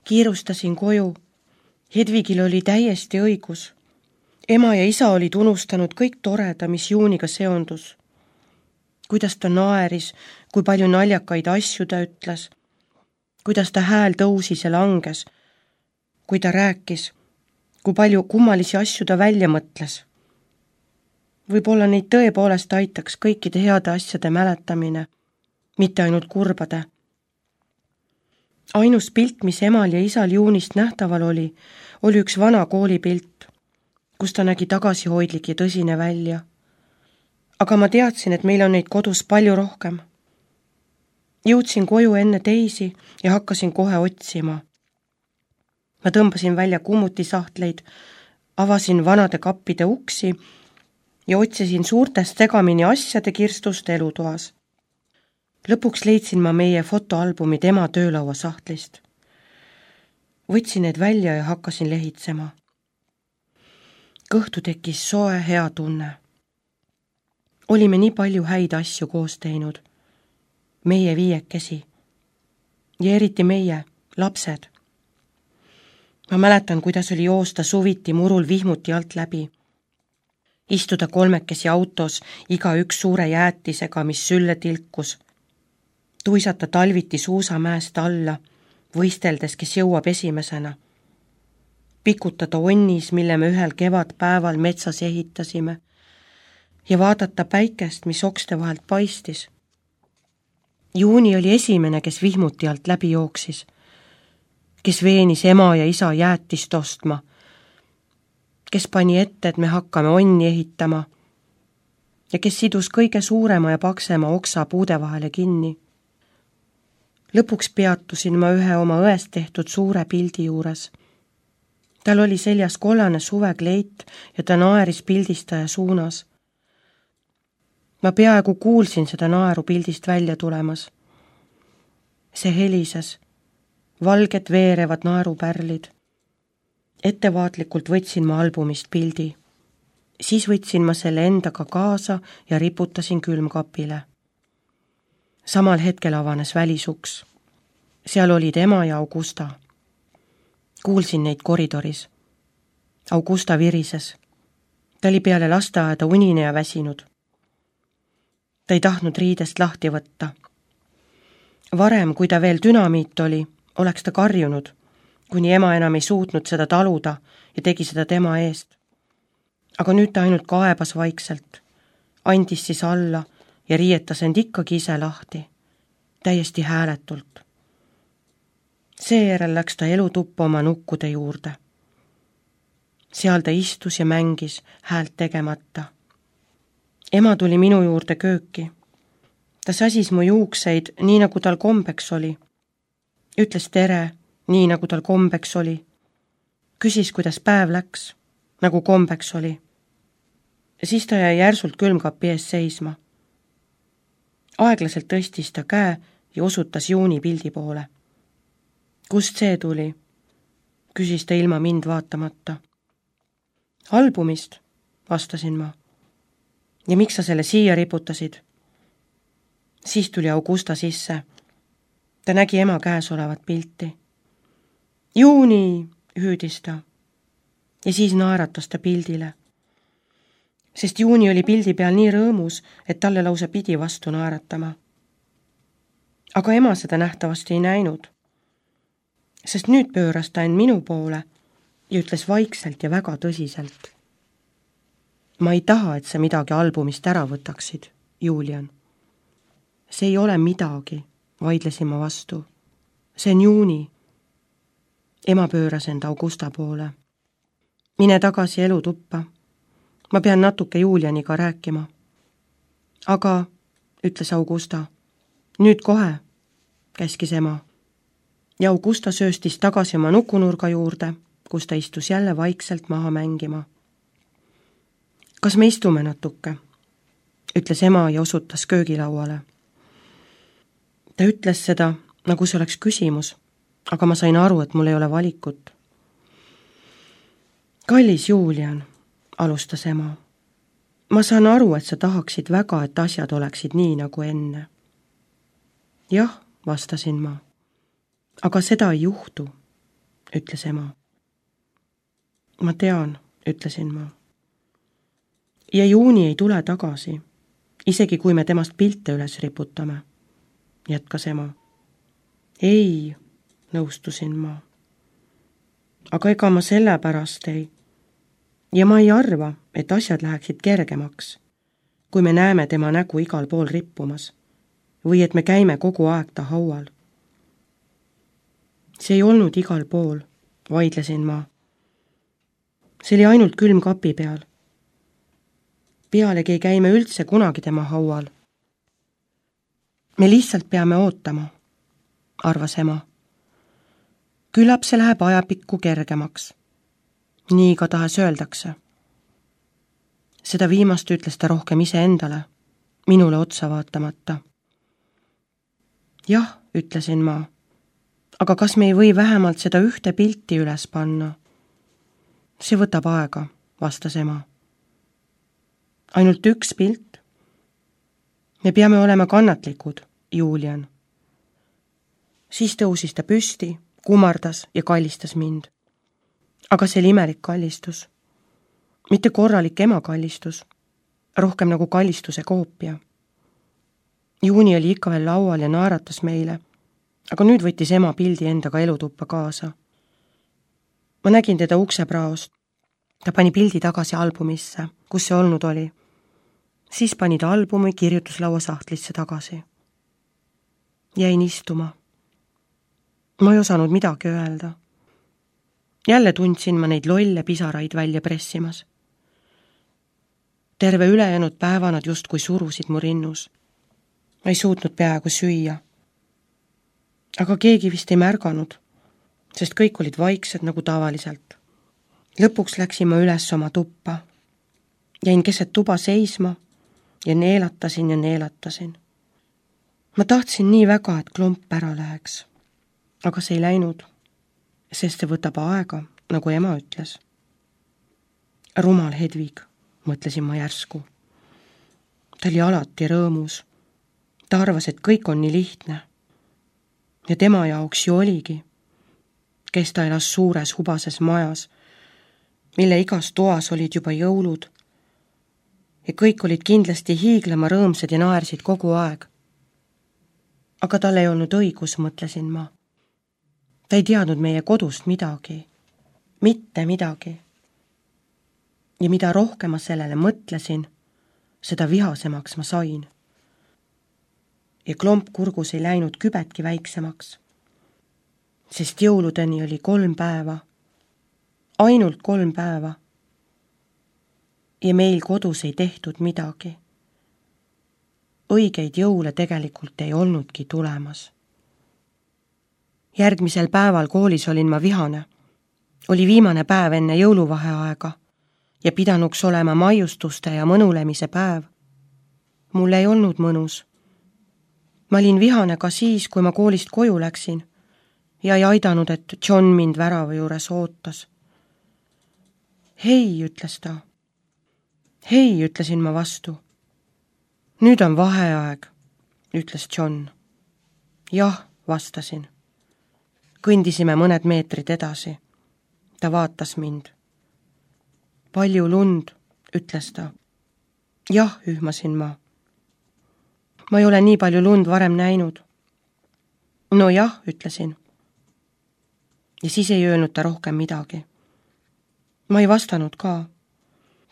Kiirustasin koju. Hedvigil oli täiesti õigus. Ema ja isa olid unustanud kõik toreda, mis Juuniga seondus. Kuidas ta naeris, kui palju naljakaid asju ta ütles, kuidas ta hääl tõusis ja langes, kui ta rääkis, kui palju kummalisi asju ta välja mõtles. Võib-olla neid tõepoolest aitaks kõikide heade asjade mäletamine, mitte ainult kurbade. Ainus pilt, mis emal ja isal Juunist nähtaval oli üks vana koolipilt, kus ta nägi tagasihoidlik ja tõsine välja. Aga ma teadsin, et meil on neid kodus palju rohkem. Jõudsin koju enne teisi ja hakkasin kohe otsima. Ma tõmbasin välja kummutisahtleid, avasin vanade kappide uksi ja otsisin suurtest segamini asjade kirstust elutoas. Lõpuks leidsin ma meie fotoalbumid ema töölaua sahtlist. Võtsin need välja ja hakkasin lehitsema. Kõhtu tekkis soe hea tunne. Olime nii palju häid asju koos teinud. Meie viiekesi. Ja eriti meie, lapsed. Ma mäletan, kuidas oli joosta suviti murul vihmuti alt läbi. Istuda kolmekesi autos, igaüks suure jäätisega, mis sülle tilkus. Tuisata talviti suusamäest alla, võisteldes, kes jõuab esimesena. Pikutada onnis, mille me ühel kevadpäeval metsas ehitasime ja vaadata päikest, mis okste vahelt paistis. Juuni oli esimene, kes vihmuti alt läbi jooksis, kes veenis ema ja isa jäätist ostma, kes pani ette, et me hakkame onni ehitama ja kes sidus kõige suurema ja paksema oksa puude vahele kinni. Lõpuks peatusin ma ühe oma õest tehtud suure pildi juures. Tal oli seljas kollane suvekleit ja ta naeris pildistaja suunas. Ma peaaegu kuulsin seda naeru pildist välja tulemas. See helises, valged veerevad naerupärlid. Ettevaatlikult võtsin ma albumist pildi. Siis võtsin ma selle endaga kaasa ja riputasin külmkapile. Samal hetkel avanes välisuks. Seal olid ema ja Augusta. Kuulsin neid koridoris. Augusta virises. Ta oli peale lasteaeda unine ja väsinud. Ta ei tahtnud riidest lahti võtta. Varem, kui ta veel dünamiit oli, oleks ta karjunud, kuni ema enam ei suutnud seda taluda ja tegi seda tema eest. Aga nüüd ta ainult kaebas vaikselt, andis siis alla ja riietas end ikkagi ise lahti, täiesti hääletult. Seejärel läks ta elutuppa oma nukkude juurde. Seal ta istus ja mängis häält tegemata. Ema tuli minu juurde kööki. Ta sasis mu juukseid, nii nagu tal kombeks oli. Ütles tere, nii nagu tal kombeks oli. Küsis, kuidas päev läks, nagu kombeks oli. Siis ta jäi järsult külmkapi ees seisma. Aeglaselt tõstis ta käe ja osutas Juuni pildi poole. Kust see tuli? Küsis ta ilma mind vaatamata. Albumist, vastasin ma. Ja miks sa selle siia riputasid? Siis tuli Augusta sisse. Ta nägi ema käes olevat pilti. Juuni, hüüdis ta. Ja siis naeratas ta pildile. Sest Juuni oli pildi peal nii rõõmus, et talle lausa pidi vastu naeratama. Aga ema seda nähtavasti ei näinud. Sest nüüd pööras ta end minu poole ja ütles vaikselt ja väga tõsiselt. Ma ei taha, et sa midagi albumist ära võtaksid, Julian. See ei ole midagi, vaidlesin ma vastu. See on Juuni. Ema pööras end Augusta poole. Mine tagasi elutuppa. Ma pean natuke Julianiga rääkima. Aga, ütles Augusta, nüüd kohe, käskis ema. Ja Augusta sööstis tagasi oma nukunurga juurde, kus ta istus jälle vaikselt maha mängima. Kas me istume natuke? Ütles ema ja osutas köögilauale. Ta ütles seda, nagu see oleks küsimus, aga ma sain aru, et mul ei ole valikut. Kallis Julian, alustas ema. Ma saan aru, et sa tahaksid väga, et asjad oleksid nii nagu enne. Jah, vastasin ma. Aga seda ei juhtu. ütles ema. Ma tean, ütlesin ma. Ja Juuni ei tule tagasi, isegi kui me temast pilte üles riputame, jätkas ema. Ei, nõustusin ma. Aga ega ma sellepärast ei. Ja ma ei arva, et asjad läheksid kergemaks, kui me näeme tema nägu igal pool rippumas või et me käime kogu aeg ta haual. See ei olnud igal pool, vaidlesin ma. See oli ainult külmkapi peal. Pealegi ei käi me üldse kunagi tema haual. Me lihtsalt peame ootama, arvas ema. Küllap see läheb ajapikku kergemaks. Nii igatahes öeldakse. Seda viimast ütles ta rohkem iseendale, minule otsa vaatamata. Jah, ütlesin ma, aga kas me ei või vähemalt seda ühte pilti üles panna? See võtab aega, vastas ema. Ainult üks pilt? Me peame olema kannatlikud, Julian. Siis tõusis ta püsti, kumardas ja kallistas mind. Aga see oli imelik kallistus. Mitte korralik ema kallistus, rohkem nagu kallistuse koopia. Juuni oli ikka veel laual ja naeratas meile, aga nüüd võttis ema pildi endaga elutuppa kaasa. Ma nägin teda uksepraost. Ta pani pildi tagasi albumisse, kus see olnud oli. Siis pani ta albumi kirjutuslaua sahtlisse tagasi. Jäin istuma. Ma ei osanud midagi öelda. Jälle tundsin ma neid lolle pisaraid välja pressimas. Terve ülejäänud päeva nad justkui surusid mu rinnus. Ma ei suutnud peaaegu süüa. Aga keegi vist ei märganud, sest kõik olid vaiksed nagu tavaliselt. Lõpuks läksin ma üles oma tuppa. Jäin keset tuba seisma ja neelatasin ja neelatasin. Ma tahtsin nii väga, et klomp ära läheks. Aga see ei läinud, sest see võtab aega, nagu ema ütles. Rumal Hedvig, mõtlesin ma järsku. Ta oli alati rõõmus. Ta arvas, et kõik on nii lihtne. Ja tema jaoks ju oligi, kes ta elas suures hubases majas, mille igas toas olid juba jõulud ja kõik olid kindlasti hiiglema rõõmsad ja naersid kogu aeg. Aga tal ei olnud õigus, mõtlesin ma. Ta ei teadnud meie kodust midagi, mitte midagi. Ja mida rohkem ma sellele mõtlesin, seda vihasemaks ma sain. Ja klomp kurgus ei läinud kübetki väiksemaks, sest jõuludeni oli 3 päeva, ainult 3 päeva. Ja meil kodus ei tehtud midagi. Õigeid jõule tegelikult ei olnudki tulemas. Järgmisel päeval koolis olin ma vihane. Oli viimane päev enne jõuluvaheaega ja pidanuks olema maiustuste ja mõnulemise päev. Mul ei olnud mõnus. Ma olin vihane ka siis, kui ma koolist koju läksin ja ei aidanud, et John mind värava juures ootas. Hei, ütles ta. Hei, ütlesin ma vastu. Nüüd on vaheaeg, ütles John. Jah, vastasin. Kõndisime mõned meetrid edasi. Ta vaatas mind. Palju lund, ütles ta. Jah, ühmasin ma. Ma ei ole nii palju lund varem näinud. No jah, ütlesin. Ja siis ei öelnud ta rohkem midagi. Ma ei vastanud ka.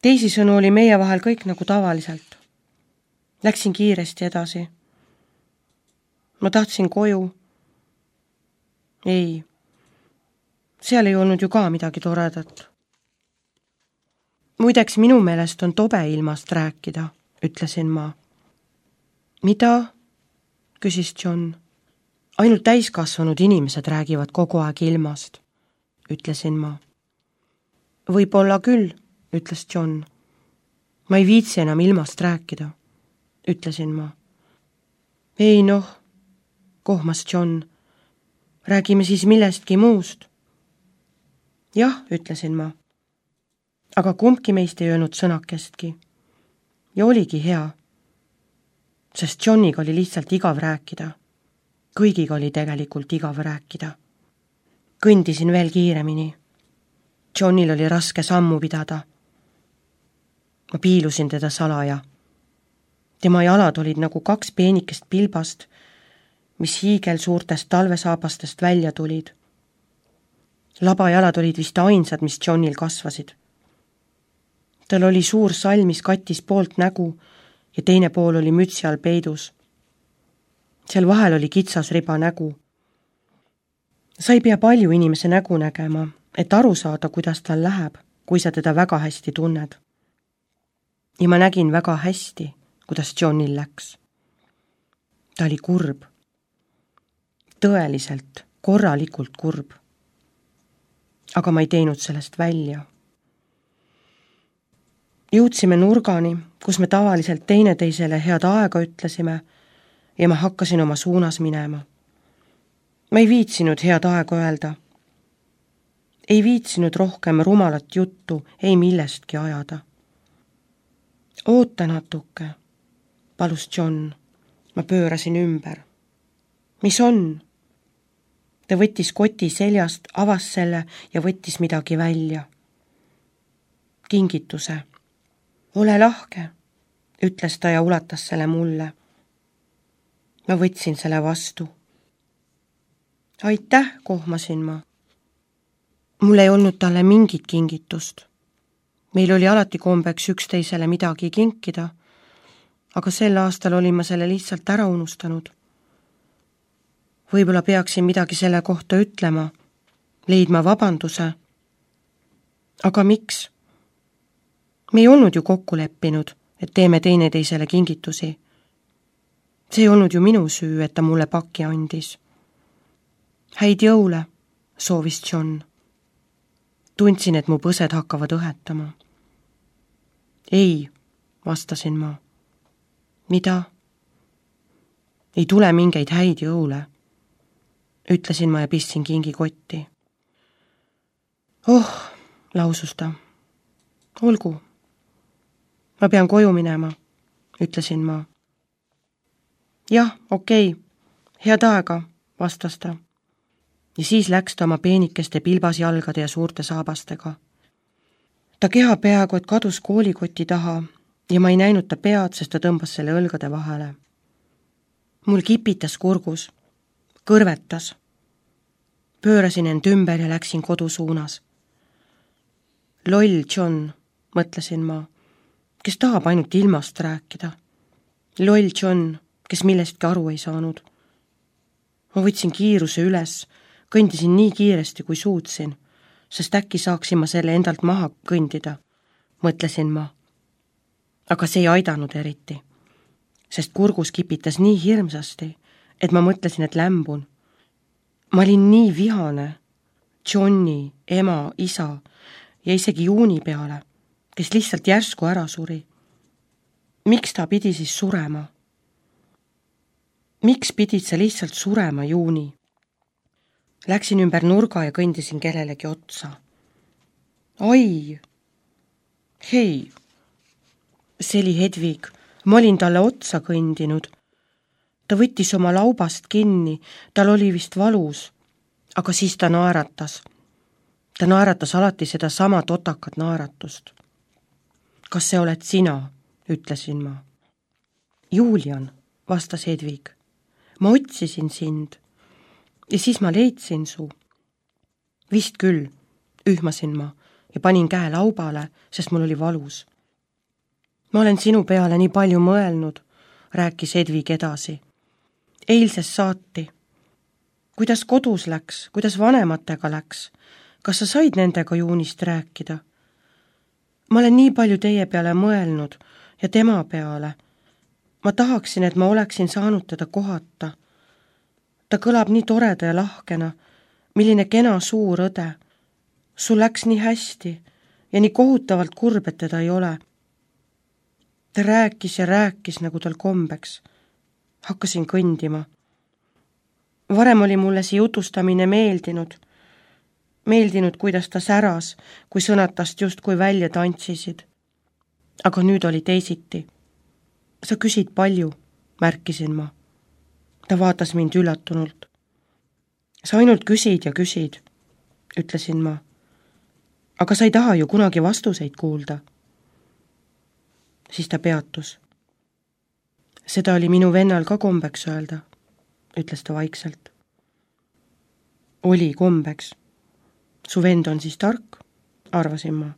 Teisisõnu oli meie vahel kõik nagu tavaliselt. Läksin kiiresti edasi. Ma tahtsin koju. Ei, seal ei olnud ju ka midagi toredat. Muideks minu meelest on tobe ilmast rääkida, ütlesin ma. Mida? Küsis John. Ainult täiskasvanud inimesed räägivad kogu aeg ilmast, ütlesin ma. Võib-olla küll, ütles John. Ma ei viitsi enam ilmast rääkida, ütlesin ma. Ei noh, kohmas John. Räägime siis millestki muust. Jah, ütlesin ma. Aga kumbki meist ei öelnud sõnakestki. Ja oligi hea. Sest Johniga oli lihtsalt igav rääkida. Kõigiga oli tegelikult igav rääkida. Kõndisin veel kiiremini. Johnil oli raske sammu pidada. Ma piilusin teda salaja. Tema jalad olid nagu 2 peenikest pilbast, mis hiigel suurtest talvesaabastest välja tulid. Labajalad olid vist ainsad, mis Johnil kasvasid. Tal oli suur sall, mis kattis poolt nägu ja teine pool oli mütsi all peidus. Seal vahel oli kitsas riba nägu. Sa ei pea palju inimese nägu nägema, et aru saada, kuidas tal läheb, kui sa teda väga hästi tunned. Ja ma nägin väga hästi, kuidas Johnil läks. Ta oli kurb. Tõeliselt, korralikult kurb. Aga ma ei teinud sellest välja. Jõudsime nurgani, kus me tavaliselt teineteisele head aega ütlesime ja ma hakkasin oma suunas minema. Ma ei viitsinud head aega öelda. Ei viitsinud rohkem rumalat juttu, ei millestki ajada. Oota natuke, palus John. Ma pöörasin ümber. Mis on? Ta võttis koti seljast, avas selle ja võttis midagi välja. Kingituse. Ole lahke, ütles ta ja ulatas selle mulle. Ma võtsin selle vastu. Aitäh, kohmasin ma. Mul ei olnud talle mingit kingitust. Meil oli alati kombeks üksteisele midagi kinkida, aga sel aastal olin ma selle lihtsalt ära unustanud. Võib-olla peaksin midagi selle kohta ütlema, leidma vabanduse. Aga miks? Me ei olnud ju kokku leppinud, et teeme teineteisele kingitusi. See ei olnud ju minu süü, et ta mulle paki andis. Häid jõule, soovis John. Tundsin, et mu põsed hakkavad õhetama. Ei, vastasin ma. Mida? Ei tule mingeid häid jõule, ütlesin ma ja pistsin kingi kotti. Oh, lausus ta. Olgu. Ma pean koju minema, ütlesin ma. Jah, okei, head aega, vastas ta. Ja siis läks ta oma peenikeste pilbasjalgade ja suurte saabastega. Ta keha peaaegu, et kadus koolikoti taha ja ma ei näinud ta pead, sest ta tõmbas selle õlgade vahele. Mul kipitas kurgus, kõrvetas. Pöörasin end ümber ja läksin kodu suunas. Loll John, mõtlesin ma, kes tahab ainult ilmast rääkida. Loll John, kes millestki aru ei saanud. Ma võtsin kiiruse üles, kõndisin nii kiiresti, kui suutsin, sest äkki saaksin ma selle endalt maha kõndida, mõtlesin ma. Aga see ei aidanud eriti, sest kurgus kipitas nii hirmsasti, et ma mõtlesin, et lämbun. Ma olin nii vihane Johni, ema, isa ja isegi Juuni peale, kes lihtsalt järsku ära suri. Miks ta pidi siis surema? Miks pidid sa lihtsalt surema, Juuni? Läksin ümber nurga ja kõndisin kellelegi otsa. Ai! Hei! See oli Hedvig. Ma olin talle otsa kõndinud. Ta võttis oma laubast kinni, tal oli vist valus, aga siis ta naeratas. Ta naeratas alati seda sama totakat naeratust. Kas see oled sina, ütlesin ma. Julian, vastas Hedvig. Ma otsisin sind. Ja siis ma leidsin su. Vist küll, ühmasin ma ja panin käe laubale, sest mul oli valus. Ma olen sinu peale nii palju mõelnud, rääkis Hedvig edasi. Eilses saati. Kuidas kodus läks, kuidas vanematega läks? Kas sa said nendega Juunist rääkida? Ma olen nii palju teie peale mõelnud ja tema peale. Ma tahaksin, et ma oleksin saanud teda kohata. Ta kõlab nii toreda ja lahkena, milline kena suur õde. Sul läks nii hästi ja nii kohutavalt kurb, et teda ei ole. Ta rääkis ja rääkis, nagu tal kombeks. Hakkasin kõndima. Varem oli mulle see jutustamine meeldinud. Meeldinud, kuidas ta säras, kui sõnad tast justkui välja tantsisid. Aga nüüd oli teisiti. Sa küsid palju, märkisin ma. Ta vaatas mind üllatunult. Sa ainult küsid ja küsid. ütlesin ma. Aga sa ei taha ju kunagi vastuseid kuulda. Siis ta peatus. Seda oli minu vennal ka kombeks öelda, ütles ta vaikselt. Oli kombeks. Su vend on siis tark, arvasin ma.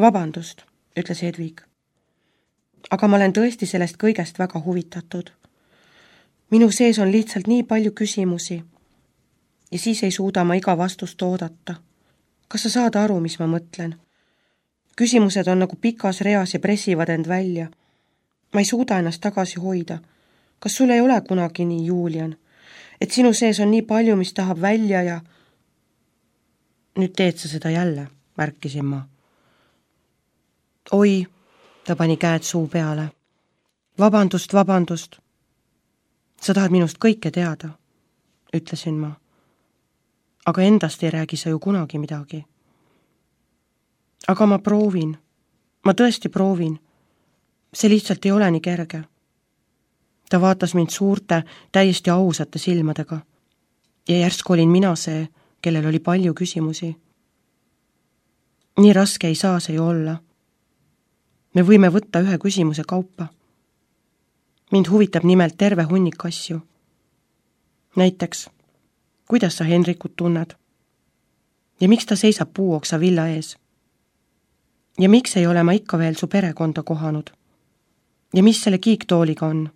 Vabandust, ütles Hedvig. Aga ma olen tõesti sellest kõigest väga huvitatud. Minu sees on lihtsalt nii palju küsimusi ja siis ei suuda ma iga vastust oodata. Kas sa saad aru, mis ma mõtlen? Küsimused on nagu pikas reas ja pressivad end välja. Ma ei suuda ennast tagasi hoida. Kas sul ei ole kunagi nii, Julian? Et sinu sees on nii palju, mis tahab välja ja... Nüüd teed sa seda jälle, märkisin ma. Oi, ta pani käed suu peale. Vabandust. Sa tahad minust kõike teada, ütlesin ma. Aga endast ei räägi sa ju kunagi midagi. Aga ma proovin. Ma tõesti proovin. See lihtsalt ei ole nii kerge. Ta vaatas mind suurte, täiesti ausate silmadega. Ja järsku olin mina see, kellel oli palju küsimusi. Nii raske ei saa see ju olla. Me võime võtta ühe küsimuse kaupa. Mind huvitab nimelt terve hunnik asju. Näiteks, kuidas sa Henrikut tunned? Ja miks ta seisab puuoksa villa ees? Ja miks ei ole ma ikka veel su perekonda kohanud? Ja mis selle kiiktooliga on?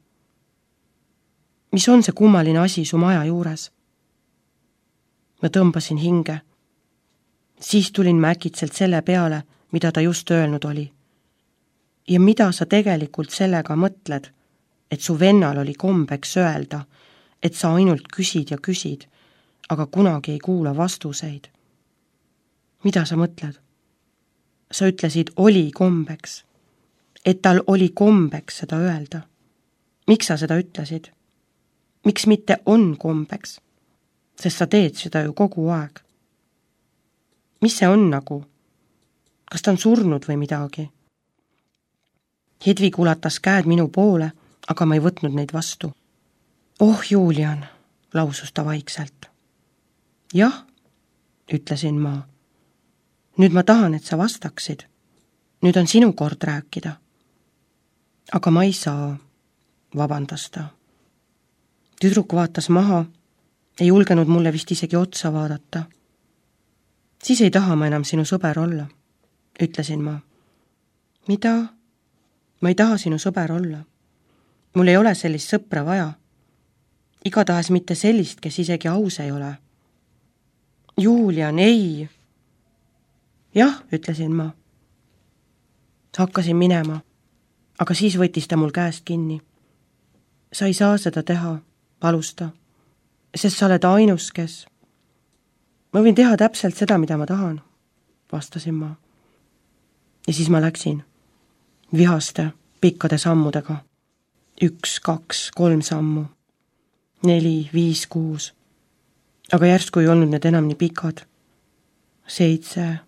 Mis on see kummaline asi su maja juures? Ma tõmbasin hinge. Siis tulin ma äkitselt selle peale, mida ta just öelnud oli. Ja mida sa tegelikult sellega mõtled, et su vennal oli kombeks öelda, et sa ainult küsid ja küsid, aga kunagi ei kuula vastuseid. Mida sa mõtled? Sa ütlesid, oli kombeks. Et tal oli kombeks seda öelda. Miks sa seda ütlesid? Miks mitte on kombeks? Sest sa teed seda ju kogu aeg. Mis see on nagu? Kas ta on surnud või midagi? Hedvig ulatas käed minu poole, aga ma ei võtnud neid vastu. Oh, Julian, lausus ta vaikselt. Jah, ütlesin ma. Nüüd ma tahan, et sa vastaksid. Nüüd on sinu kord rääkida. Aga ma ei saa, vabandas ta. Tüdruk vaatas maha, ei julgenud mulle vist isegi otsa vaadata. Siis ei taha ma enam sinu sõber olla, ütlesin ma. Mida? Ma ei taha sinu sõber olla. Mul ei ole sellist sõpra vaja. Igatahes mitte sellist, kes isegi aus ei ole. Julian, ei! Jah, ütlesin ma. Hakkasin minema, aga siis võttis ta mul käest kinni. Sa ei saa seda teha, palus ta, sest sa oled ainus, kes... Ma võin teha täpselt seda, mida ma tahan, vastasin ma. Ja siis ma läksin, vihaste, pikkade sammudega. 1, 2, 3 sammu, 4, 5, 6. Aga järsku ei olnud need enam nii pikad. 7,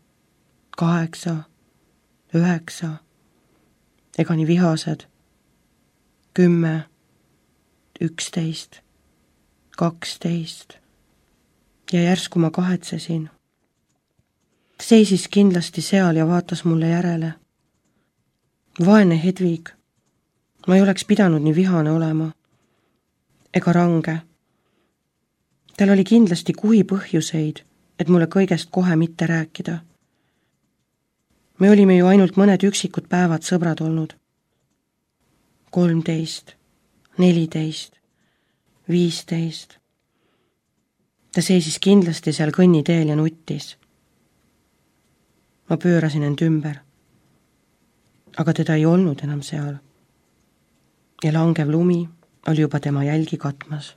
8, 9, ega nii vihased. 10, 11, 12. Ja järsku ma kahetsesin. Seisis kindlasti seal ja vaatas mulle järele. Vaene Hedvig. Ma ei oleks pidanud nii vihane olema. Ega range. Tal oli kindlasti kuhi põhjuseid, et mulle kõigest kohe mitte rääkida. Me olime ju ainult mõned üksikud päevad sõbrad olnud. 13, 14, 15. Ta seisis kindlasti seal kõnniteel ja nuttis. Ma pöörasin end ümber. Aga teda ei olnud enam seal. Ja langev lumi oli juba tema jälgi katmas.